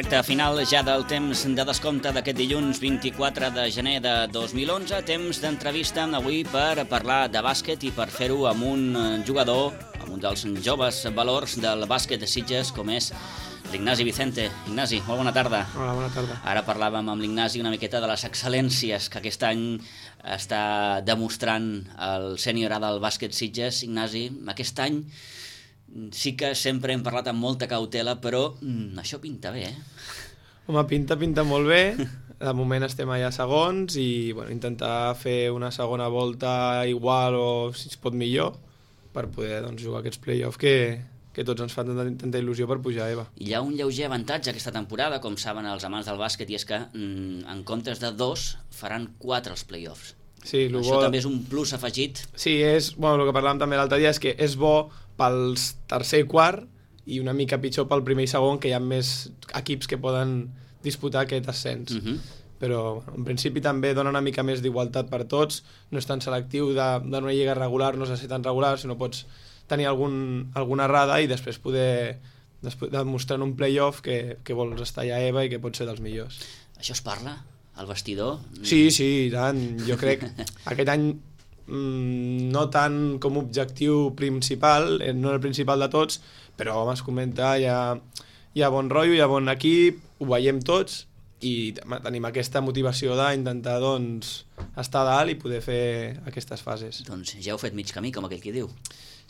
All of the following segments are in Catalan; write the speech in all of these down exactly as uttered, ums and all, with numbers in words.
Recte final ja del temps de descompte d'aquest dilluns vint-i-quatre de gener de dos mil onze. Temps d'entrevista avui per parlar de bàsquet i per fer-ho amb un jugador, amb un dels joves valors del bàsquet de Sitges, com és l'Ignasi Vicente. Ignasi, molt bona tarda. Hola, bona tarda. Ara parlàvem amb l'Ignasi una miqueta de les excel·lències que aquest any està demostrant el sènior A del bàsquet Sitges. Ignasi, aquest any sí que sempre hem parlat amb molta cautela, però mm, això pinta bé, eh? Home, pinta, pinta molt bé. De moment estem allà segons i bueno, intentar fer una segona volta igual o, si es pot, millor per poder doncs, jugar aquests play-offs que, que tots ens fan tanta, tanta il·lusió per pujar a EVA. Hi ha un lleuger avantatge aquesta temporada, com saben els amants del bàsquet, i és que mm, en comptes de dos faran quatre els play-offs. Sí, això bo... també és un plus afegit. Sí, és, bueno, el que parlàvem també l'altre dia és que és bo pels tercer i quart i una mica pitjor pel primer i segon, que hi ha més equips que poden disputar aquest ascens. Uh-huh. Però en principi també dona una mica més d'igualtat per tots, no és tan selectiu de, de una lliga regular, no s'ha de ser tan regular, sinó pots tenir algun, alguna errada i després poder després demostrar en un play-off que, que vols estar allà a EVA i que pots ser dels millors. Això es parla? Al vestidor? Sí, sí, i tant. Jo crec aquest any no tant com a objectiu principal, no el principal de tots, però home, es comenta, hi ha, hi ha bon rotllo, hi ha bon equip, ho veiem tots i tenim aquesta motivació d'intentar doncs, estar a dalt i poder fer aquestes fases. Doncs ja heu fet mig camí, com aquell qui diu.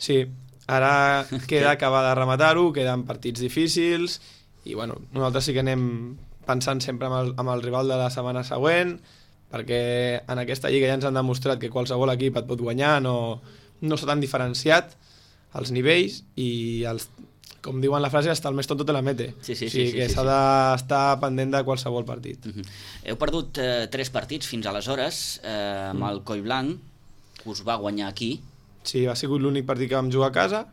Sí, ara queda acabar de rematar-ho, queden partits difícils i bueno, nosaltres sí que anem pensant sempre amb el, amb el rival de la setmana següent, perquè en aquesta lliga ja ens han demostrat que qualsevol equip et pot guanyar, no, no s'ha tan diferenciat els nivells i els, com diuen la frase, hasta el més tonto te la mete. Sí, sí, o sigui sí, que sí, s'ha sí. d'estar pendent de qualsevol partit. Uh-huh. Heu perdut eh, tres partits fins aleshores, eh, amb mm. el Collblanc, que us va guanyar aquí. Sí, ha sigut l'únic partit que vam jugar a casa,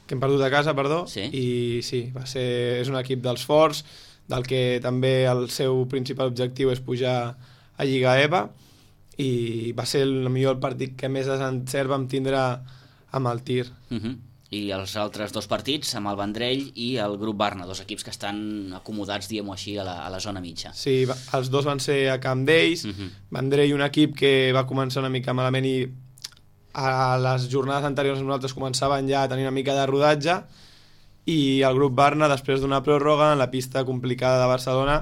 que hem perdut a casa, perdó, sí. I sí, va ser, és un equip dels forts, del que també el seu principal objectiu és pujar a Lliga EVA, i va ser el millor partit que més desencert vam tindre amb el Tir. Uh-huh. I els altres dos partits amb el Vendrell i el Grup Barna, dos equips que estan acomodats, diguem-ho així, a la, a la zona mitja. Sí, va, els dos van ser a camp d'ells. Uh-huh. Vendrell, un equip que va començar una mica malament i a les jornades anteriors nosaltres començaven ja a tenir una mica de rodatge, i el Grup Barna, després d'una pròrroga en la pista complicada de Barcelona,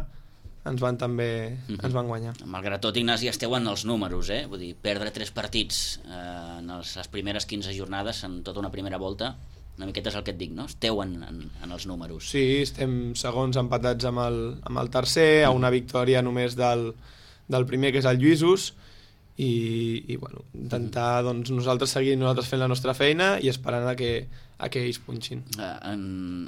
ens van també uh-huh. ens van guanyar. Malgrat tot, Ignasi, esteu en els números, eh? Vull dir, perdre tres partits eh, en els, les primeres quinze jornades en tota una primera volta, una miqueta és el que et dic, no? Esteu en, en, en els números. Sí, estem segons empatats amb el, amb el tercer, a una victòria només del, del primer, que és el Lluïsos, i, i bueno, intentar doncs, nosaltres seguir nosaltres fent la nostra feina i esperant a que, a que ells punxin. Uh, en,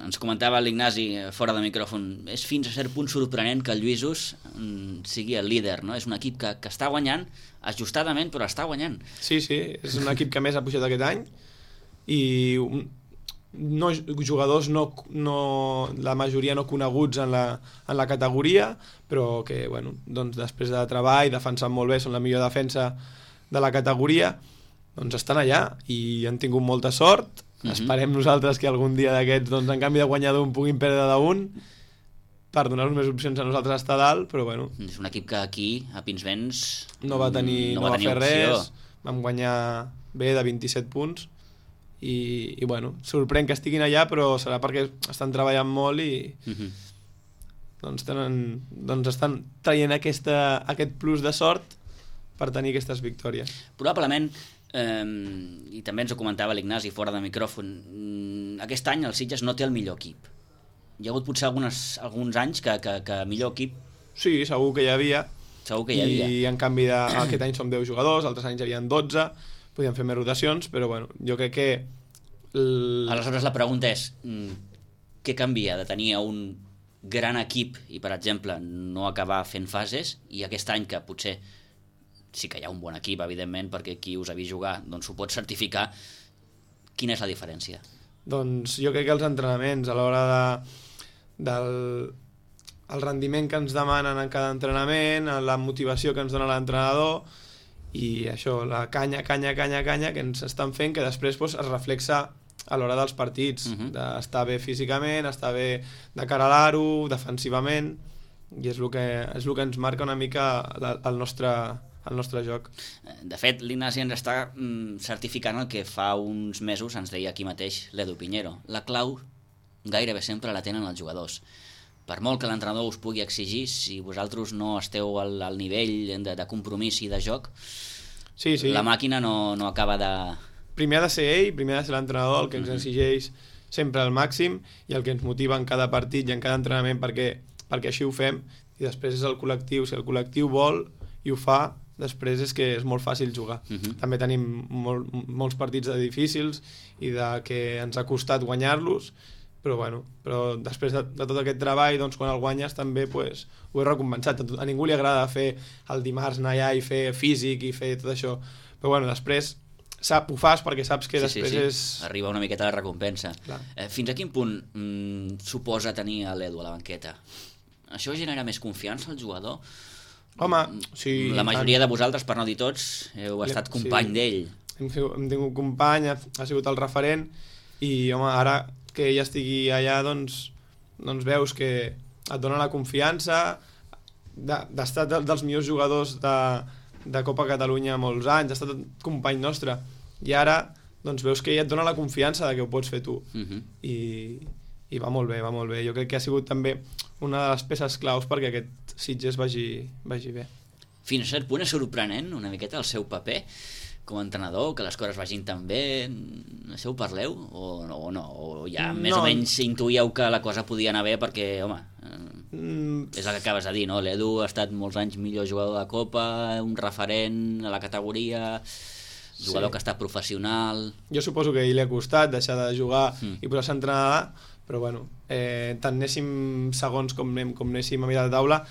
ens comentava l'Ignasi fora de micròfon, és fins a cert punt sorprenent que el Lluïsos um, sigui el líder, no? És un equip que, que està guanyant, ajustadament, però està guanyant. Sí, sí, és un equip que més ha pujat aquest any i no, jugadors no, no, la majoria no coneguts en la, en la categoria, però que bueno, doncs després de treball, defensant molt bé, són la millor defensa de la categoria, doncs estan allà i han tingut molta sort. Uh-huh. Esperem nosaltres que algun dia d'aquests, doncs, en canvi de guanyar d'un, puguin perdre d'un per donar-nos més opcions a nosaltres a estar dalt, però bueno. És un equip que aquí, a Pinsbens, no va tenir, no, no va, va fer opció. Res, vam guanyar bé de vint-i-set punts i, i bueno, sorprèn que estiguin allà, però serà perquè estan treballant molt i uh-huh. doncs, tenen, doncs estan traient aquesta, aquest plus de sort per tenir aquestes victòries. Probablement, eh, i també ens ho comentava l'Ignasi fora de micròfon, aquest any el Sitges no té el millor equip. Hi ha hagut potser algunes, alguns anys que, que, que millor equip... Sí, segur que hi havia. Segur que hi havia. I en canvi de, aquest any som deu jugadors, altres anys hi havia dotze, podíem fer més rotacions, però bueno, jo crec que... El... Aleshores la pregunta és, què canvia de tenir un gran equip i, per exemple, no acabar fent fases, i aquest any que potser sí que hi ha un bon equip, evidentment, perquè qui us ha vist jugar doncs ho pot certificar, quina és la diferència? Doncs jo crec que els entrenaments, a l'hora de, del el rendiment que ens demanen en cada entrenament, la motivació que ens dona l'entrenador, i això, la canya, canya, canya, canya que ens estan fent, que després doncs, es reflexa a l'hora dels partits, uh-huh. d'estar bé físicament, estar bé de cara a l'aro, defensivament, i és el que, és el que ens marca una mica la, el, nostre, el nostre joc. De fet, l'Ignasi ens està mm, certificant el que fa uns mesos ens deia aquí mateix l'Edu Piñero. La clau gairebé sempre la tenen els jugadors. Per molt que l'entrenador us pugui exigir, si vosaltres no esteu al, al nivell de, de compromís i de joc, sí, sí. la màquina no, no acaba de... Primer ha de ser ell, primer ha de ser l'entrenador, el que ens uh-huh. exigeix sempre al màxim i el que ens motiva en cada partit i en cada entrenament perquè, perquè així ho fem, i després és el col·lectiu. Si el col·lectiu vol i ho fa, després és que és molt fàcil jugar. Uh-huh. També tenim molt, molts partits de difícils i de que ens ha costat guanyar-los, però bueno, però després de, de tot aquest treball, doncs quan el guanyes també pues, ho he recompensat. A, a ningú li agrada fer el dimarts anar allà i fer físic i fer tot això, però bueno, després sap, ho fas perquè saps que sí, després sí, sí. és... Arriba una miqueta la recompensa. Eh, fins a quin punt mm, suposa tenir l'Edu a la banqueta? Això genera més confiança al jugador? Home, sí... La majoria tant... de vosaltres, per no dir tots, heu estat company sí. d'ell. Hem, hem tingut company, ha, ha sigut el referent, i home, ara que ell estigui allà, doncs, doncs veus que et dona la confiança d'estar de, dels millors jugadors de, de Copa Catalunya molts anys, ha estat company nostre, i ara doncs veus que ell et dona la confiança de que ho pots fer tu. Uh-huh. I, i va molt bé, va molt bé. Jo crec que ha sigut també una de les peces claus perquè aquest Sitges vagi, vagi bé. Fins a cert punt és sorprenent una miqueta el seu paper com a entrenador, que les coses vagin tan bé. Això ho parleu? O, o no? O ja més no. o menys intuïeu que la cosa podia anar bé perquè, home, mm. és el que acabes de dir, no? L'Edu ha estat molts anys millor jugador de Copa, un referent a la categoria, jugador sí. que ha estat professional... Jo suposo que a ell li ha costat deixar de jugar mm. i posar-se a entrenar, però bueno, eh, tant anéssim segons com, anem, com anéssim a mirar de taula,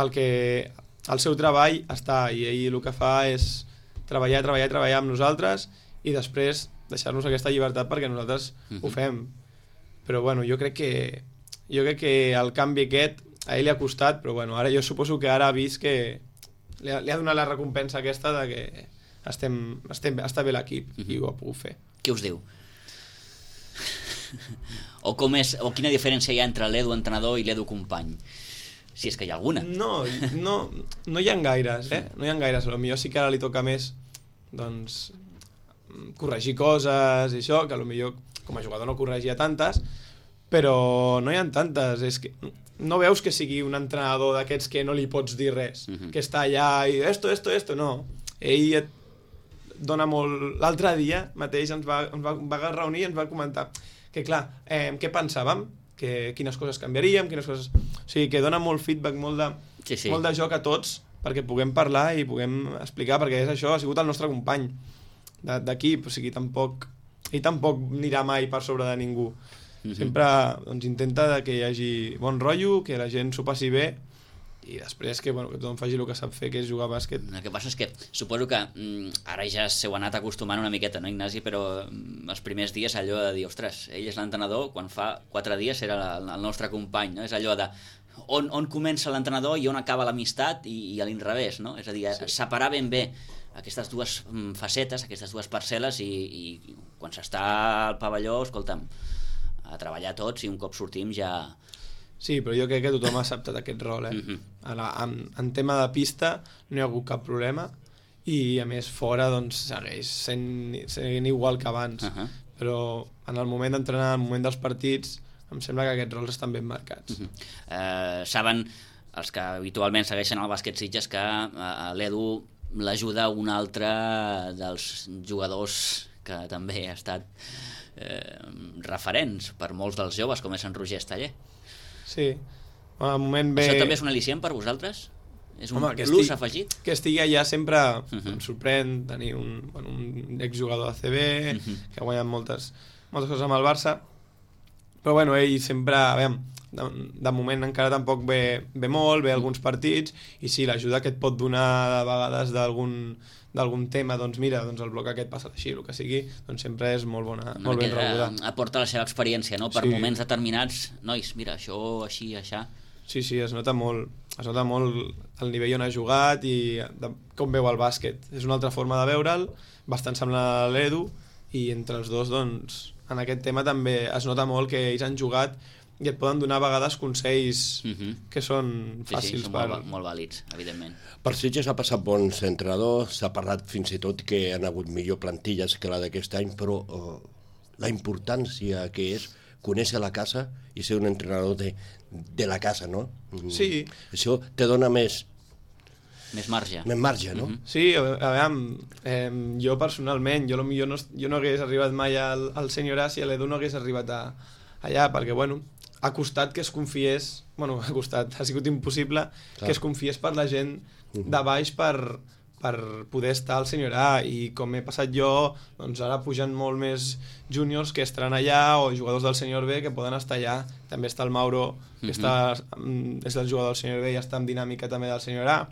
el, que, el seu treball està, i ell el que fa és treballar, treballar, treballar amb nosaltres i després deixar-nos aquesta llibertat perquè nosaltres uh-huh. ho fem. Però bueno, jo crec que jo crec que el canvi aquest a ell li ha costat, però bueno, ara jo suposo que ara ha vist que li ha, li ha donat la recompensa aquesta de que estem, estem, està bé l'equip uh-huh. i ho ha pogut fer. Què us diu? o, com és, o quina diferència hi ha entre l'Edu entrenador i l'Edu company? Si és que hi ha alguna. No, no, no hi ha gaires, eh? No hi ha gaires. Potser sí que ara li toca més doncs, corregir coses i això, que potser com a jugador no corregia tantes, però no hi ha tantes. És que no veus que sigui un entrenador d'aquests que no li pots dir res, uh-huh. que està allà i esto, esto, esto, no. Ell et dona molt... L'altre dia mateix ens va, ens va, va reunir i ens va comentar que, clar, eh, què pensàvem? Que quines coses canviaríem, quines coses... O sigui, que dona molt feedback, molt de, sí, sí. molt de joc a tots, perquè puguem parlar i puguem explicar, perquè és això, ha sigut el nostre company d'equip, o sigui, tampoc... Ell tampoc anirà mai per sobre de ningú. Mm-hmm. Sempre doncs, intenta que hi hagi bon rotllo, que la gent s'ho passi bé, i després que, bueno, que tothom faci el que sap fer, que és jugar a bàsquet. El que passa és que suposo que mm, ara ja s'heu anat acostumant una miqueta, no, Ignasi? Però mm, els primers dies allò de dir, ostres, ell és l'entrenador, quan fa quatre dies era la, el nostre company, no? És allò de on, on comença l'entrenador i on acaba l'amistat i, i a l'inrevés, no? És a dir, sí. separar ben bé aquestes dues mm, facetes, aquestes dues parcel·les i, i quan s'està al pavelló, escolta'm, a treballar tots i un cop sortim ja... Sí, però jo crec que tothom ha acceptat aquest rol, eh? Uh-huh. En, en, en tema de pista no hi ha hagut cap problema i a més fora doncs segueix sent, sent igual que abans, uh-huh. però en el moment d'entrenar, en el moment dels partits em sembla que aquests rols estan ben marcats. Uh-huh. uh, saben els que habitualment segueixen el bàsquet Sitges que uh, l'Edu l'ajuda un altre dels jugadors que també ha estat uh, referents per molts dels joves, com és en Roger Esteller. Sí, al moment ve... Això també és un al·licient per vosaltres? És un Home, plus estigui, afegit? Que estigui allà sempre uh-huh. em sorprèn tenir un, bueno, un exjugador de A C B uh-huh. que ha guanyat moltes, moltes coses amb el Barça, però bueno, ell sempre, a veure, de, de moment encara tampoc ve, ve molt, ve alguns partits, i sí, l'ajuda que et pot donar de vegades d'algun d'algun tema, doncs mira, doncs el bloc aquest passa així, el que sigui, doncs sempre és molt bona, no, molt ben rebuda. Aporta la seva experiència, no? Per sí. moments determinats, nois, mira, això, així, això... Sí, sí, es nota molt, es nota molt el nivell on ha jugat i de, com veu el bàsquet. És una altra forma de veure'l, bastant semblant a l'Edu, i entre els dos, doncs, en aquest tema també es nota molt que ells han jugat i et poden donar a vegades consells uh-huh. que són fàcils. Sí, sí, són per... molt, molt vàlids, evidentment. Per Sitges ha passat bons entrenadors, s'ha parlat fins i tot que han hagut millor plantilles que la d'aquest any, però uh, la importància que és conèixer la casa i ser un entrenador de, de la casa, no? Sí. Això te dona més... Més marge. Més marge, no? Mm-hmm. Sí, a, a veure, eh, jo personalment, jo, jo, no, jo no hagués arribat mai al, al senyor A si l'Edu no hagués arribat a, allà, perquè, bueno, ha costat que es confiés, bueno, ha costat, ha sigut impossible Clar. que es confiés per la gent de baix per, per poder estar al senyor A, i com he passat jo, doncs ara pugen molt més júniors que estaran allà, o jugadors del senyor B que poden estar allà. També està el Mauro, que mm-hmm. està, és el jugador del senyor B i està en dinàmica també del senyor A.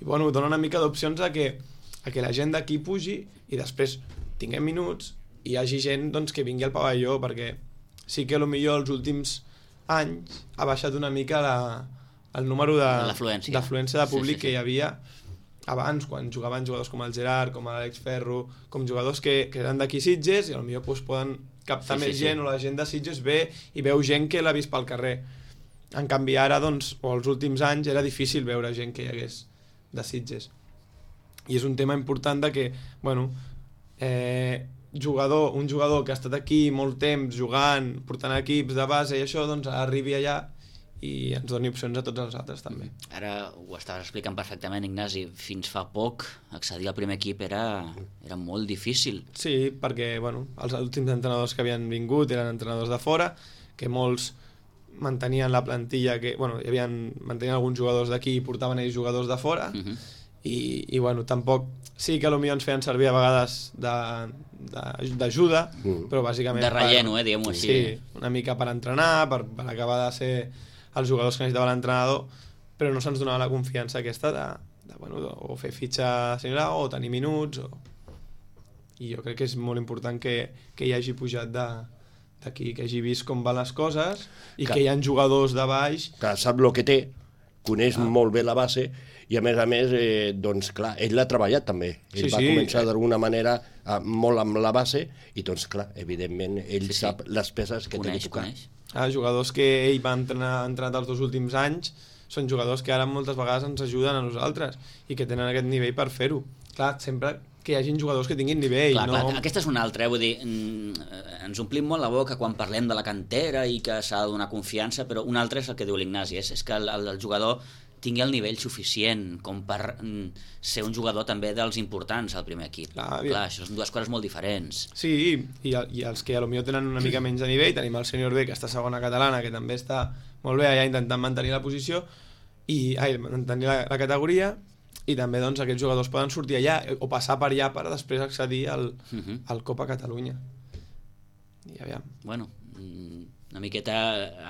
I bueno, dona una mica d'opcions a que, a que la gent d'aquí pugi i després tinguem minuts i hi hagi gent doncs, que vingui al pavelló, perquè sí que potser els últims anys ha baixat una mica la, el número d'afluència de, de públic sí, sí, sí. que hi havia abans, quan jugaven jugadors com el Gerard, com l'Àlex Ferro, com jugadors que, que eren d'aquí Sitges i potser doncs, poden captar sí, més sí, gent sí. o la gent de Sitges ve i veu gent que l'ha vist pel carrer. En canvi ara, doncs, o els últims anys, era difícil veure gent que hi hagués de Sitges. I és un tema important de que, bueno, eh, jugador, un jugador que ha estat aquí molt temps jugant, portant equips de base i això, doncs arribi allà i ens doni opcions a tots els altres també. Ara ho estaves explicant perfectament, Ignasi, fins fa poc accedir al primer equip era, era molt difícil. Sí, perquè bueno, els últims entrenadors que havien vingut eren entrenadors de fora, que molts mantenien la plantilla, que bueno, hi havia, mantenien alguns jugadors d'aquí i portaven ells jugadors de fora, uh-huh. i, i bueno, tampoc, sí que potser ens feien servir a vegades d'ajuda, uh-huh. però bàsicament... De relleno, per, eh, diguem-ho així. Sí, una mica per entrenar, per, per acabar de ser els jugadors que necessitava l'entrenador, però no se'ns donava la confiança aquesta de, de, bueno, de o fer fitxa senyora o tenir minuts, o... i jo crec que és molt important que, que hi hagi pujat de d'aquí, que hagi vist com van les coses i que, que hi ha jugadors de baix que sap el que té, coneix ah. molt bé la base i a més a més eh, doncs clar, ell l'ha treballat també, ell sí, va sí. començar d'alguna manera a, molt amb la base i doncs clar, evidentment ell sí, sap sí. les peces que coneix, té que tocar. Ah, jugadors que ell va entrenar, entrenat els dos últims anys són jugadors que ara moltes vegades ens ajuden a nosaltres i que tenen aquest nivell per fer-ho. Clar, sempre que hi hagin jugadors que tinguin nivell. Clar, no... clar, aquesta és una altra, eh? Vull dir, ens omplim molt la boca quan parlem de la cantera i que s'ha de donar confiança, però un altre és el que diu l'Ignasi, és, és que el, el, el jugador tingui el nivell suficient com per mm, ser un jugador també dels importants al primer equip. Clar, clar, això són dues coses molt diferents. Sí, i, i els que potser tenen una mica menys de nivell, tenim el senyor B, que està segona catalana, que també està molt bé allà intentant mantenir la posició, i ai, mantenir la, la categoria, i també doncs, aquests jugadors poden sortir allà o passar per allà per després accedir al, uh-huh. al Copa Catalunya. I aviam. Bueno, una miqueta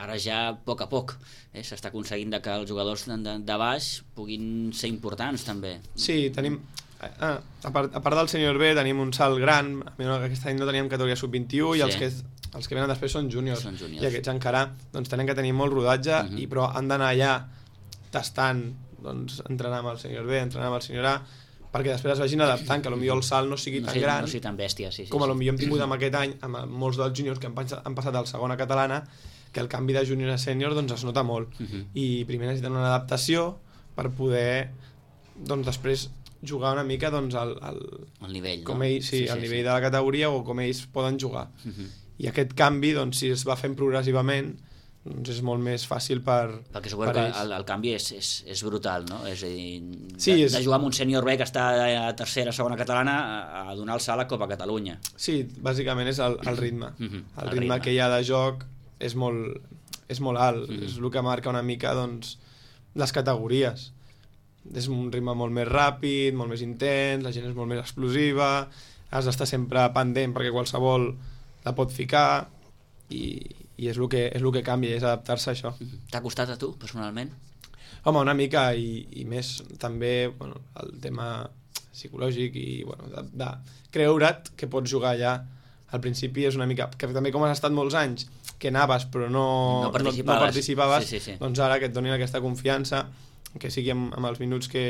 ara ja a poc a poc eh? s'està aconseguint que els jugadors de, de, de baix puguin ser importants també. Sí, tenim ah, a, part, a part del senyor B tenim un salt gran, aquest any no teníem categoria sub vint-i-u sí. i els que, els que venen després són júniors, són júniors. I aquests encara doncs, tenen que tenir molt rodatge, uh-huh. i però han d'anar allà tastant, doncs, entrenar amb el senyor B, entrenar amb el senyor A, perquè després es vagin adaptant, que potser el salt no sigui no tan sigui, gran, no sigui tan bèstia, sí, sí, com sí. potser hem tingut amb aquest any, amb molts dels júniors que han, han passat al segona catalana, que el canvi de júnior a sènior doncs, es nota molt. Uh-huh. I primer necessiten una adaptació per poder doncs, després jugar una mica doncs, al, al, el nivell, com no? ells, sí, sí, al sí, nivell sí. de la categoria o com ells poden jugar. Uh-huh. I aquest canvi, doncs, si es va fent progressivament, doncs és molt més fàcil per perquè suposo que el, el canvi és, és, és brutal, no? És a dir, sí, de, és... de jugar amb un sènior B que està a tercera, segona catalana a, a donar el salt a Copa Catalunya. Sí, bàsicament és el, el ritme. Uh-huh. El, el ritme, ritme que hi ha de joc és molt, és molt alt. Uh-huh. És el que marca una mica doncs, les categories. És un ritme molt més ràpid, molt més intens, la gent és molt més explosiva, has d'estar sempre pendent perquè qualsevol la pot ficar i, i és el que, és el que canvia, és adaptar-se a això. T'ha costat a tu, personalment? Home, una mica, i, i més també bueno, el tema psicològic i bueno, de, de creure't que pots jugar allà. Al principi és una mica... que també com has estat molts anys, que anaves però no, no participaves, no, no participaves sí, sí, sí. doncs ara que et donin aquesta confiança, que sigui amb, amb els minuts que,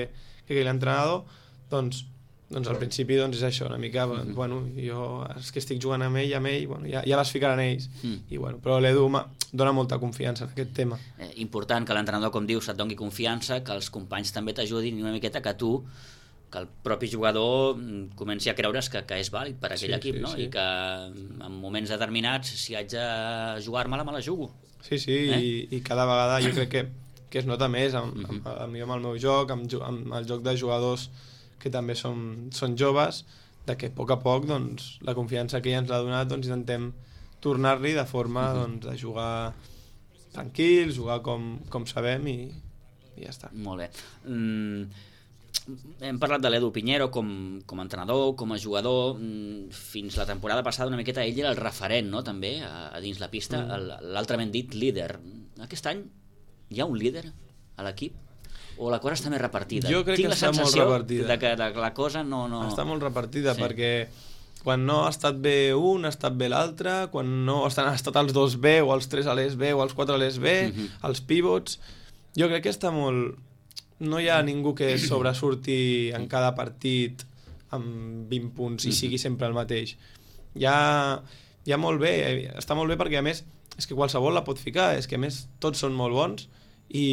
que quedi l'entrenador, doncs doncs al principi doncs és això, una mica, mm-hmm. bueno, jo és que estic jugant amb ell, amb ell, bueno, ja, ja les ficaran ells, mm. i bueno, però l'Edu dona molta confiança en aquest tema. Eh, important que l'entrenador, com dius, et doni confiança, que els companys també t'ajudin i una miqueta que tu, que el propi jugador comenci a creure's que, que és vàlid per aquell sí, equip, sí, no? Sí. I que en moments determinats, si haig de jugar-me-la, me la jugo. Sí, sí, eh? i, i cada vegada jo crec que, que es nota més amb, mm-hmm. amb, amb, amb el meu joc, amb, amb el joc de jugadors que també són, són joves, de que a poc a poc doncs, la confiança que ja ens l'ha donat doncs, intentem tornar-li de forma mm-hmm. doncs, de jugar tranquils, jugar com, com sabem i, i ja està. Molt bé. Mm, hem parlat de l'Edu Piñero com, com a entrenador, com a jugador. Mm, fins la temporada passada una miqueta ell era el referent, no? També a, a dins la pista, mm. l'altrament dit líder. Aquest any hi ha un líder a l'equip? O la cosa està més repartida? Jo crec Tinc que està molt repartida. De que, de que la cosa no... no... Està molt repartida, sí. Perquè quan no ha estat bé un, ha estat bé l'altre, quan no estan, ha estat els dos bé, o els tres a l'E S B, o els quatre a l'E S B, mm-hmm. els pivots... Jo crec que està molt... No hi ha ningú que sobresurti en cada partit amb vint punts i sigui sempre el mateix. Hi ha, hi ha molt bé, està molt bé perquè a més és que qualsevol la pot ficar, és que a més tots són molt bons, i,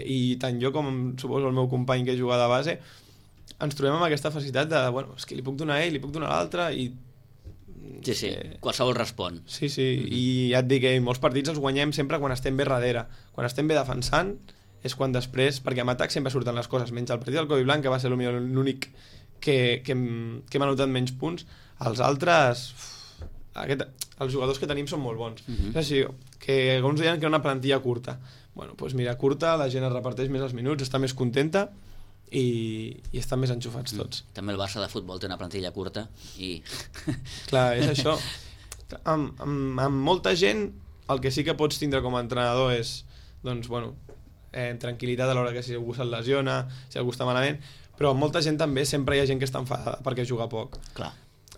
i tant jo com suposo el meu company que juga de base ens trobem amb aquesta facilitat de, bueno, és que li puc donar a ell, li puc donar a l'altre i... Sí, sí, que... qualsevol respon. Sí, sí, mm-hmm. i ja et dic que molts partits els guanyem sempre quan estem bé darrere, quan estem bé defensant és quan després, perquè amb atac sempre surten les coses, menys el partit del Covi Blanc, que va ser l'únic que, que, que m'ha notat menys punts, els altres... Uf, aquest, els jugadors que tenim són molt bons. Mm-hmm. És així, que alguns deien que era una plantilla curta. Bueno, doncs mira, curta, la gent es reparteix més els minuts, està més contenta i, i estan més enxufats tots. Mm. També el Barça de futbol té una plantilla curta i... Clar, és això. Amb, amb, amb molta gent, el que sí que pots tindre com a entrenador és, doncs, bueno, eh, tranquil·litat a l'hora que si algú se't lesiona, si algú està malament, però amb molta gent també sempre hi ha gent que està enfadada perquè juga poc. Clar.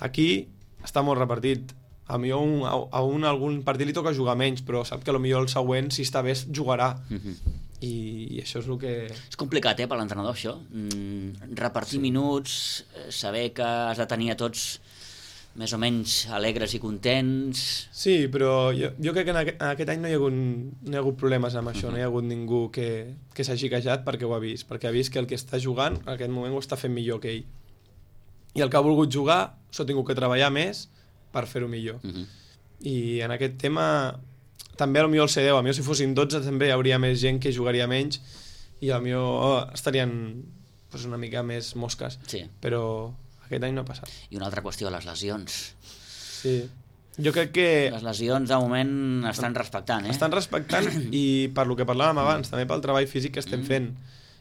Aquí està molt repartit. A millor un, a un algun partit li toca jugar menys, però sap que potser el següent, si està bé, jugarà. Mm-hmm. I, I això és el que... És complicat, eh, per l'entrenador, això. Mm, repartir sí. minuts, saber que has de tenir a tots més o menys alegres i contents... Sí, però jo, jo crec que en aquest, en aquest any no hi ha hagut, no hi ha hagut problemes amb això, mm-hmm. no hi ha hagut ningú que, que s'hagi queixat perquè ho ha vist, perquè ha vist que el que està jugant en aquest moment ho està fent millor que ell. I el que ha volgut jugar s'ho ha tingut que treballar més per fer-ho millor. Uh-huh. I en aquest tema també potser el C deu, a mi si fossin dotze també hi hauria més gent que jugaria menys i potser oh, estarien pues, una mica més mosques, sí. Però aquest any no ha passat. I una altra qüestió, les lesions. Sí, jo crec que... Les lesions de moment estan respectant, eh? Estan respectant i per lo que parlàvem abans, també pel treball físic que estem fent.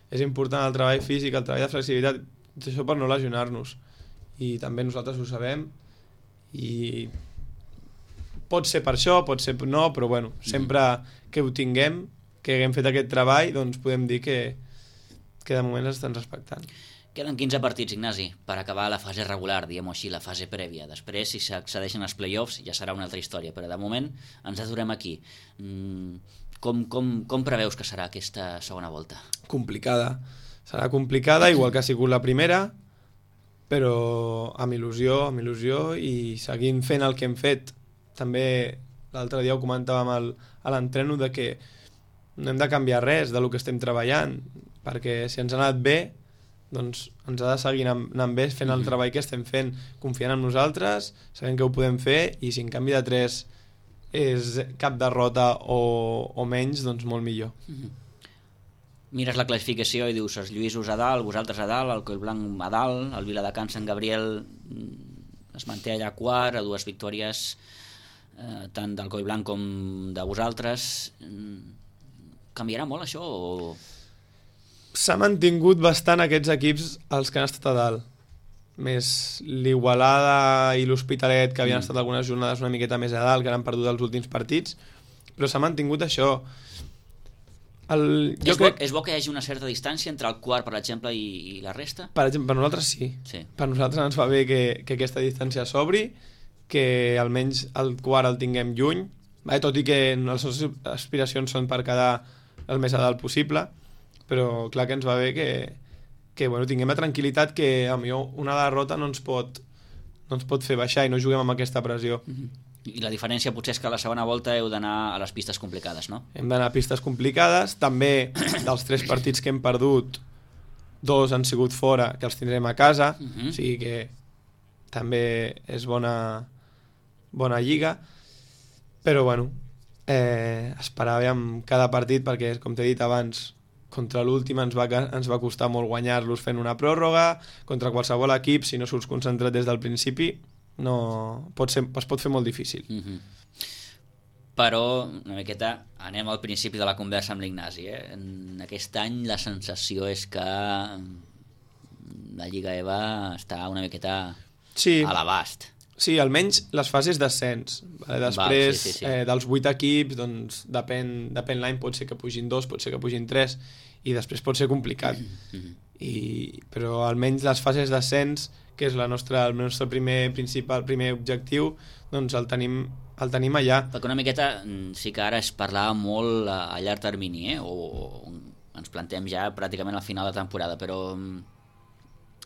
És important el treball físic, el treball de flexibilitat, això per no lesionar-nos. I també nosaltres ho sabem i pot ser per això, pot ser no, però bueno, sempre que ho tinguem, que haguem fet aquest treball, doncs podem dir que, que de moment estan respectant. Queden quinze partits, Ignasi, per acabar la fase regular, diguem-ho així, la fase prèvia. Després, si s'accedeixen als play-offs, ja serà una altra història, però de moment ens aturem aquí. Mm, com, com, com preveus que serà aquesta segona volta? Complicada. Serà complicada, igual que ha sigut la primera, però amb il·lusió, amb il·lusió i seguint fent el que hem fet. També l'altre dia ho comentàvem al, a l'entreno de que no hem de canviar res de lo que estem treballant, perquè si ens ha anat bé, doncs ens ha de seguir anant, anant bé fent el treball que estem fent, confiant en nosaltres, sabent que ho podem fer i si en canvi de tres és cap derrota o, o menys, doncs molt millor. Mm-hmm. Mires la classificació i dius els Lluïsos a dalt, vosaltres a dalt, el Collblanc a dalt, el Viladecans Sant Gabriel es manté allà quart, a dues victòries eh, tant del Collblanc com de vosaltres. Canviarà molt això o...? S'ha mantingut bastant aquests equips els que han estat a dalt. Més l'Igualada i l'Hospitalet, que havien mm. estat algunes jornades una miqueta més a dalt, que han perdut els últims partits, però s'ha mantingut això. El, jo és, crec... bo, és bo que hi hagi una certa distància entre el quart, per exemple, i, i la resta? Per exemple, per nosaltres sí. sí. Per nosaltres ens va bé que, que aquesta distància s'obri, que almenys el quart el tinguem lluny, eh, tot i que les nostres aspiracions són per quedar el més a dalt possible, però clar que ens va bé que, que bueno, tinguem la tranquil·litat que a millor una derrota no ens pot, no ens pot fer baixar i no juguem amb aquesta pressió. Mm-hmm. I la diferència potser és que a la segona volta heu d'anar a les pistes complicades, no? Hem d'anar a pistes complicades. També dels tres partits que hem perdut, dos han sigut fora, que els tindrem a casa, Mm-hmm. o sigui que també és bona, bona lliga. Però bueno, eh, esperàvem cada partit perquè, com t'he dit abans, contra l'últim ens va, ens va costar molt guanyar-los fent una pròrroga, contra qualsevol equip, si no surts concentrat des del principi, no, pot ser, es pot fer molt difícil. Mm-hmm. Però una miqueta anem al principi de la conversa amb l'Ignasi, eh? En aquest any la sensació és que la Lliga E V A està una miqueta sí. a l'abast. Sí, almenys les fases d'ascens. Vale? Després, Val, sí, sí, sí. Eh, dels vuit equips, doncs depèn, depèn l'any, pot ser que pugin dos, pot ser que pugin tres, i després pot ser complicat. Mm-hmm. I, però almenys les fases d'ascens, que és la nostra, el nostre primer principal primer objectiu, doncs el tenim, el tenim allà. Perquè una miqueta sí que ara es parlava molt a, a llarg termini, eh? o, o ens plantem ja pràcticament al final de temporada, però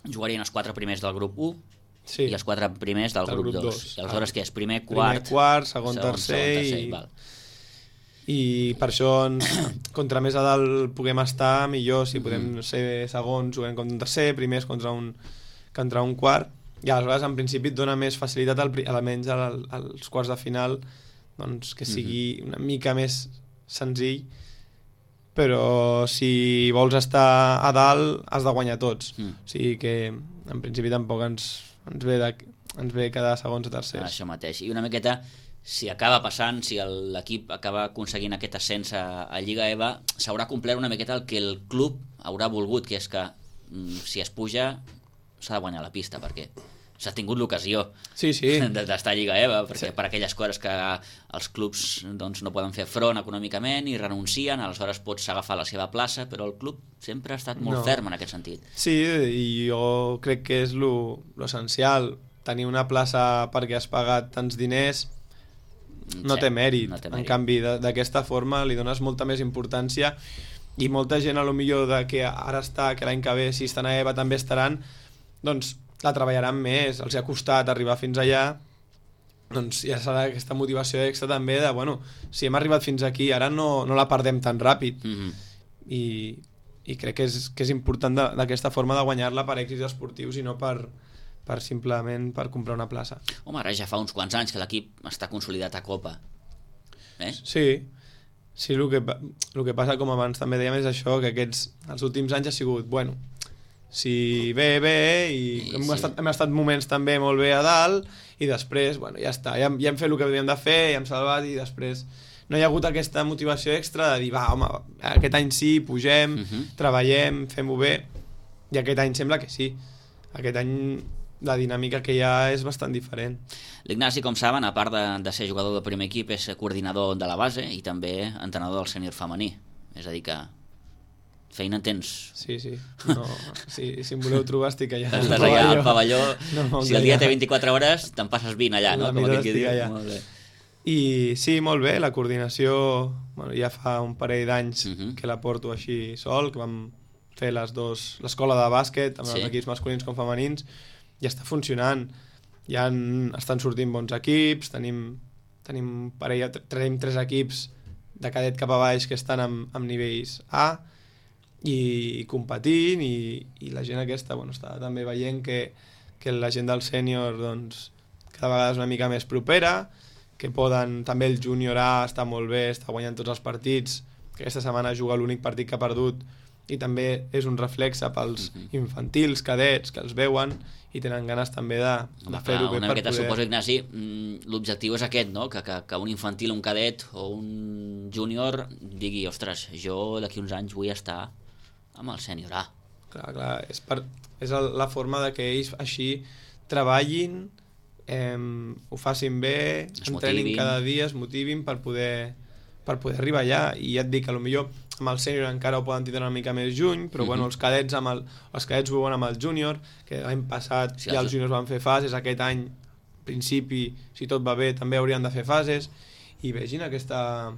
jugarien els quatre primers del grup u sí. i els quatre primers del, del grup dos. I aleshores què és? Primer, quart, primer, quart segon, segon, tercer, segon, tercer i... val. i per això ens, contra més a dalt puguem estar millor, si podem ser segons juguem contra un tercer, primers contra un contra un quart, i aleshores en principi et dona més facilitat al, almenys al, als quarts de final, doncs que sigui una mica més senzill, però si vols estar a dalt has de guanyar tots, Mm. o sigui que en principi tampoc ens, ens, ve, de, ens ve quedar segons o tercers. Això mateix, i una miqueta si acaba passant, si l'equip acaba aconseguint aquest ascens a, a Lliga E V A, s'haurà complert una miqueta el que el club haurà volgut, que és que mm, si es puja s'ha de guanyar la pista, perquè s'ha tingut l'ocasió sí, sí. d'estar a Lliga E V A, perquè sí. per aquelles coses que els clubs doncs, no poden fer front econòmicament i renuncien, aleshores pots agafar la seva plaça, però el club sempre ha estat molt no. ferm en aquest sentit. Sí, i jo crec que és lo, lo essencial, tenir una plaça perquè has pagat tants diners no sí, té mèrit, no té en mèrit. canvi d'aquesta forma li dones molta més importància i molta gent a lo millor de que ara està, que l'any que ve si estan a E V A també estaran, doncs la treballaran més, els ha costat arribar fins allà, doncs ja serà aquesta motivació extra també de, bueno, si hem arribat fins aquí ara no, no la perdem tan ràpid. Mm-hmm. I, i crec que és, que és important d'aquesta forma de guanyar-la per èxits esportius i no per, per simplement per comprar una plaça. Home, ara ja fa uns quants anys que l'equip està consolidat a Copa. Eh? Sí, sí, el que, el que passa, com abans també dèiem, és això, que aquests, els últims anys ha sigut, bueno, si bé, bé, i sí, hem, sí. Estat, hem estat moments també molt bé a dalt, i després, bueno, ja està, ja, ja hem fet el que havíem de fer, ja hem salvat, i després no hi ha hagut aquesta motivació extra de dir, va, home, aquest any sí, pugem, Uh-huh. treballem, fem-ho bé, i aquest any sembla que sí. Aquest any la dinàmica que hi ha és bastant diferent. L'Ignasi, com saben, a part de, de ser jugador del primer equip, és coordinador de la base i també entrenador del sènior femení. És a dir que feina en tens. Sí, sí. No, si, si em voleu trobar estic allà. Estàs allà al pavelló. No, si el dia té vint-i-quatre hores, te'n passes vint allà, no? La Com meitat aquell que estic diu. allà. Molt bé. I sí, molt bé, la coordinació, bueno, ja fa un parell d'anys Uh-huh. que la porto així sol, que vam fer les dos, l'escola de bàsquet amb Sí. els equips masculins com femenins, i està funcionant. Ja en, estan sortint bons equips, tenim, tenim, parella, tenim tres equips de cadet cap a baix que estan amb, amb nivells A, i competint, i, i la gent aquesta, bueno, està també veient que, que la gent del sènior doncs, cada vegada és una mica més propera, que poden, també el júnior A està molt bé, està guanyant tots els partits, que aquesta setmana juga l'únic partit que ha perdut, i també és un reflexe pels Mhm. infantils, cadets, que els veuen i tenen ganes també de, Home, de fer-ho clar, bé una per miqueta, poder... suposo, Ignasi, mm, l'objectiu és aquest, no? Que, que, que un infantil, un cadet o un júnior digui, ostres, jo d'aquí uns anys vull estar amb el sènior A. Clar, clar, és, per, és el, la forma de que ells així treballin, eh, ho facin bé, Es entrenin motivin. cada dia, es motivin per poder, per poder arribar allà. I ja et dic que potser amb el sènior encara ho poden tindre una mica més juny, però Mhm. bueno, els cadets amb el, els cadets ho veuen amb el júnior, que l'any passat Sí, ja els- els júniors van fer fases, aquest any, en principi, si tot va bé, també haurien de fer fases, i vegin aquesta...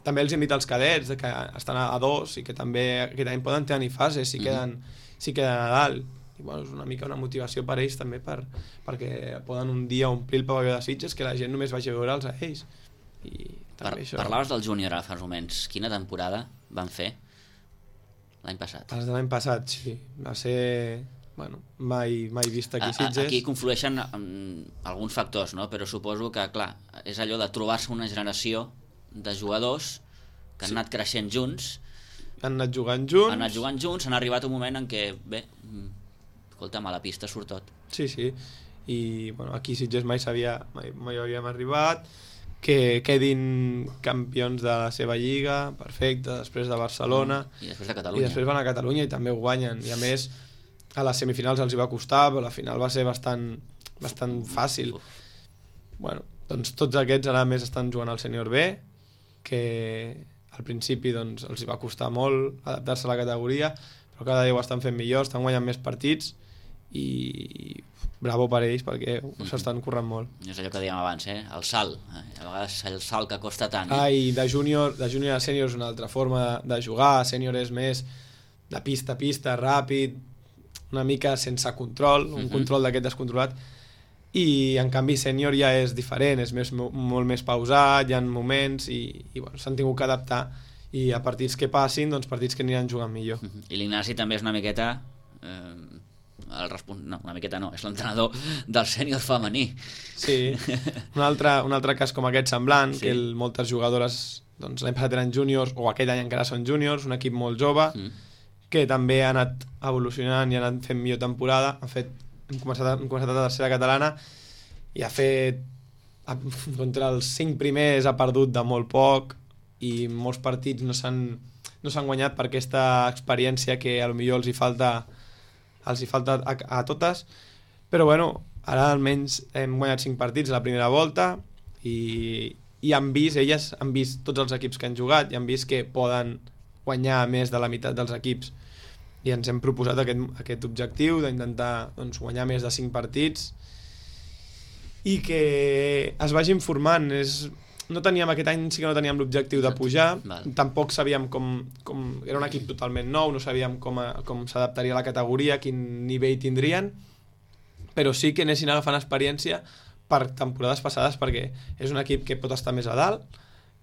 També els invita als cadets, que estan a, a dos, i que també aquest any poden tenir fases, si, Mhm. queden, sí queden a dalt. I bueno, és una mica una motivació per ells també, per, perquè poden un dia omplir el pavelló de Sitges, que la gent només vagi a veure'ls a ells. I per, també això... Parlaves del júnior ara fa uns moments. Quina temporada van fer l'any passat? Els de l'any passat, sí. Va ser... Bueno, mai, mai vist aquí a Sitges. Aquí conflueixen alguns factors, no? Però suposo que, clar, és allò de trobar-se una generació de jugadors que han sí. anat creixent junts, han anat jugant junts, han anat jugant junts, han arribat un moment en què, bé, escolta'm, a la pista surt tot. Sí, sí, i bueno, aquí Sitges mai sabia, mai, mai havíem arribat, que quedin campions de la seva lliga, perfecte, després de Barcelona, mm, i després de Catalunya. I després van a Catalunya i també ho guanyen, i a més a les semifinals els hi va costar, però la final va ser bastant, bastant fàcil. Bueno, doncs tots aquests ara més estan jugant al sènior B, que al principi doncs, els hi va costar molt adaptar-se a la categoria, però cada dia ho estan fent millor, estan guanyant més partits i bravo per ells perquè mm-hmm. s'estan corrent molt. És allò que dèiem abans, eh? El salt, eh? A vegades el salt que costa tant. Eh? Ah, i de júnior de júnior a sènior és una altra forma de, de jugar, sènior és més de pista a pista, ràpid, una mica sense control, un uh-huh. control d'aquest descontrolat, i en canvi sènior ja és diferent, és més, molt més pausat, hi ha moments i, i bueno, s'han tingut que adaptar, i a partits que passin, doncs partits que aniran jugant millor. Uh-huh. I l'Ignasi també és una miqueta eh, el respons... no, una miqueta no, és l'entrenador del sènior femení. Sí, un altre, un altre cas com aquest semblant, sí. que el, moltes jugadores doncs, l'any passat eren júniors, o aquest any encara són júniors, un equip molt jove, mm. que també ha anat evolucionant i ha anat fent millor temporada. Ha fet, hem, començat, hem començat a la tercera catalana i ha fet ha, contra els cinc primers ha perdut de molt poc i molts partits no s'han no s'han guanyat per aquesta experiència que a lo millor els hi falta els hi falta a, a totes, però bueno, ara almenys hem guanyat cinc partits a la primera volta i, i han vist, elles han vist tots els equips que han jugat i han vist que poden guanyar més de la meitat dels equips i ens hem proposat aquest, aquest objectiu d'intentar doncs, guanyar més de cinc partits i que es vagin formant. És... no teníem aquest any, sí que no teníem l'objectiu de pujar, vale. Tampoc sabíem com, com... era un equip totalment nou, no sabíem com, a, com s'adaptaria a la categoria, quin nivell tindrien, però sí que anessin agafant experiència per temporades passades perquè és un equip que pot estar més a dalt,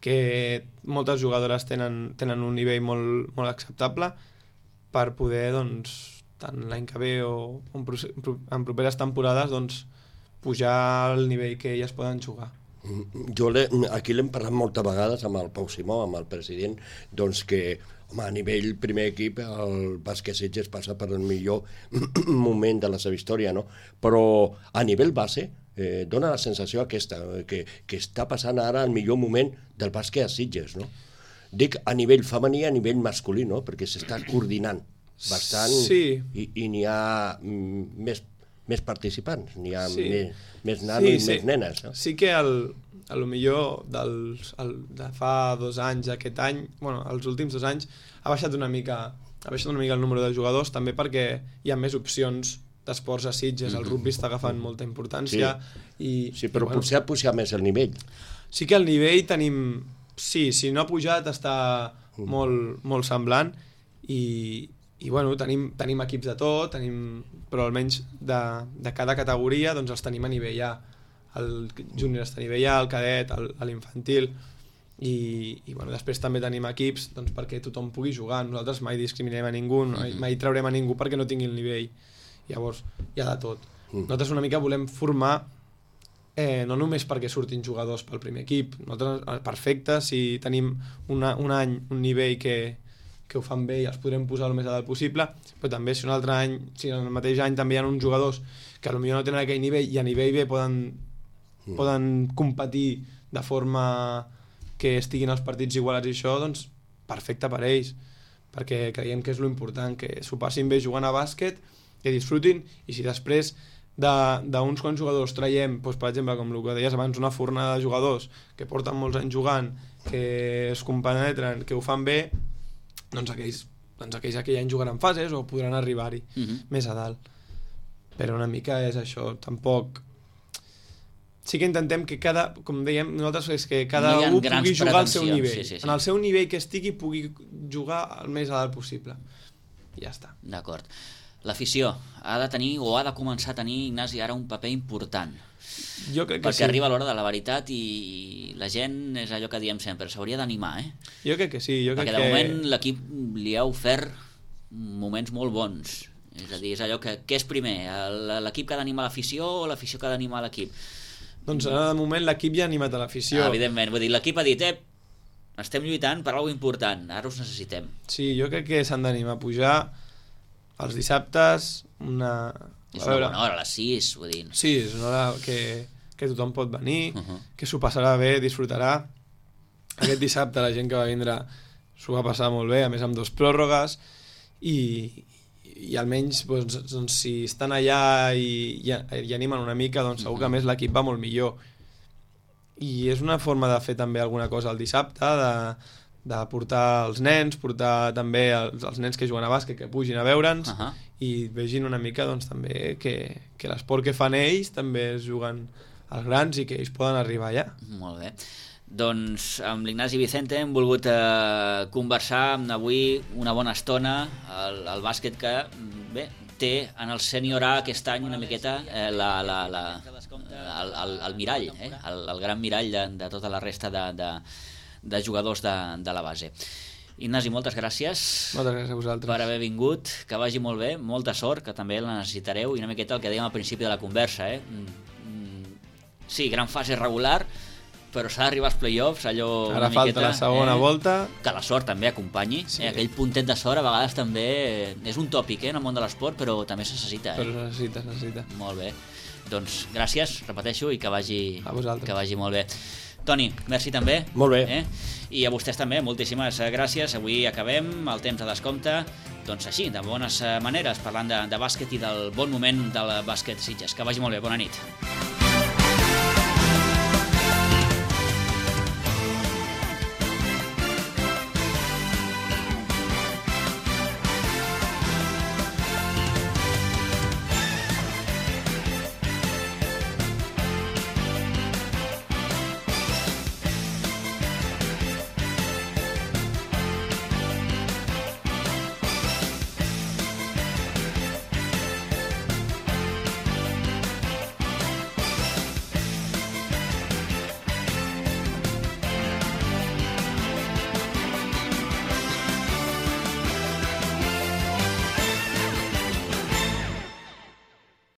que moltes jugadores tenen, tenen un nivell molt, molt acceptable per poder, doncs, tant l'any que ve o en, en properes temporades, doncs, pujar al nivell que elles poden jugar. Jo aquí l'hem parlat moltes vegades amb el Pau Simó, amb el president, doncs que, home, a nivell primer equip el bàsquet Sitges passa per el millor moment de la seva història, no? Però a nivell base eh, dona la sensació aquesta, que, que està passant ara el millor moment del bàsquet a Sitges, no? Dic a nivell femení, a nivell masculí, no? Perquè s'està coordinant bastant sí. i, i n'hi ha mm, més, més participants, n'hi ha sí. més, més nanos sí, i sí. més nenes. No? Sí que el, a lo millor dels, el, de fa dos anys aquest any, bueno, els últims dos anys, ha baixat una mica ha baixat una mica el número de jugadors, també perquè hi ha més opcions d'esports a Sitges, el rugby està agafant molta importància. Sí, i, sí però i, bueno, potser ha pujat més el nivell. Sí que el nivell tenim... Sí, si no ha pujat està mm. molt, molt semblant i, i bueno, tenim, tenim equips de tot, tenim, però almenys de, de cada categoria doncs els tenim a nivell A. El júnior està a nivell A, el cadet, l'infantil i, i bueno, després també tenim equips doncs, perquè tothom pugui jugar. Nosaltres mai discriminem a ningú, mai, mai traurem a ningú perquè no tingui el nivell. Llavors, hi ha de tot. Nosaltres una mica volem formar Eh, no només perquè surtin jugadors pel primer equip, nosaltres perfecte, si tenim una, un any, un nivell que, que ho fan bé i els podrem posar el més a dalt possible, però també si un altre any, si en el mateix any també hi ha uns jugadors que potser no tenen aquell nivell i a nivell B poden, mm. poden competir de forma que estiguin els partits igualats i això, doncs perfecte per ells, perquè creiem que és lo important, que s'ho passin bé jugant a bàsquet, que disfrutin, i si després d'uns quants jugadors traiem, doncs, per exemple, com el que deies abans, una fornada de jugadors que porten molts anys jugant, que es compenetren, que ho fan bé, doncs aquells, doncs aquells aquell any jugaran fases o podran arribar-hi uh-huh. més a dalt. Però una mica és això, tampoc... Sí que intentem que cada, com dèiem, nosaltres és que cada no un pugui jugar al seu nivell. Sí, sí, sí. En el seu nivell que estigui pugui jugar el més a dalt possible. I ja està. D'acord. L'afició ha de tenir o ha de començar a tenir, Ignasi, ara un paper important. Jo crec que perquè sí. arriba l'hora de la veritat i la gent és allò que diem sempre, s'hauria d'animar, eh? Jo crec que sí. Jo perquè crec de que... moment l'equip li ha ofert moments molt bons. És a dir, és allò que... Què és primer? L'equip que ha d'animar l'afició o l'afició que ha d'animar l'equip? Doncs ara de moment l'equip ja ha animat a l'afició. Ah, evidentment, vull dir, l'equip ha dit, eh, estem lluitant per alguna important, ara us necessitem. Sí, jo crec que s'han d'animar a pujar els dissabtes, una... És una bona hora, a les sis, vull dir. Sí, és una hora que, que tothom pot venir, Uh-huh. que s'ho passarà bé, disfrutarà. Aquest dissabte la gent que va vindre s'ho va passar molt bé, a més amb dos pròrrogues, i, i almenys doncs, doncs, si estan allà i, i, i animen una mica, doncs segur que a més l'equip va molt millor. I és una forma de fer també alguna cosa el dissabte, de, de portar els nens, portar també els, els nens que juguen a bàsquet, que pugin a veure'ns, Uh-huh. i vegin una mica doncs, també que, que l'esport que fan ells també es juguen als grans i que ells poden arribar allà. Molt bé. Doncs amb l'Ignasi Vicente hem volgut eh, conversar avui una bona estona el, el bàsquet que bé, té en el sènior A aquest any una miqueta eh, la, la, la, el, el, el mirall, eh? el, el gran mirall de, de tota la resta de, de, de jugadors de, de la base. Ignasi, moltes gràcies. Moltes gràcies a vosaltres. Per haver vingut, que vagi molt bé, molta sort, que també la necessitareu, i una miqueta el que dèiem al principi de la conversa, eh? Sí, gran fase regular, però s'ha d'arribar als play-offs, allò Ara una falta miqueta, la segona eh? volta. Que la sort també acompanyi, Sí. eh? Aquell puntet de sort a vegades també és un tòpic, eh? En el món de l'esport, però també se necessita, eh? Però es necessita, es necessita. Molt bé. Doncs gràcies, repeteixo, i que vagi, A vosaltres. que vagi molt bé. Toni, merci també. Molt bé. Eh? I a vostès també, moltíssimes gràcies. Avui acabem el temps de descompte, doncs així, de bones maneres, parlant de, de bàsquet i del bon moment del bàsquet Sitges. Que vagi molt bé, bona nit.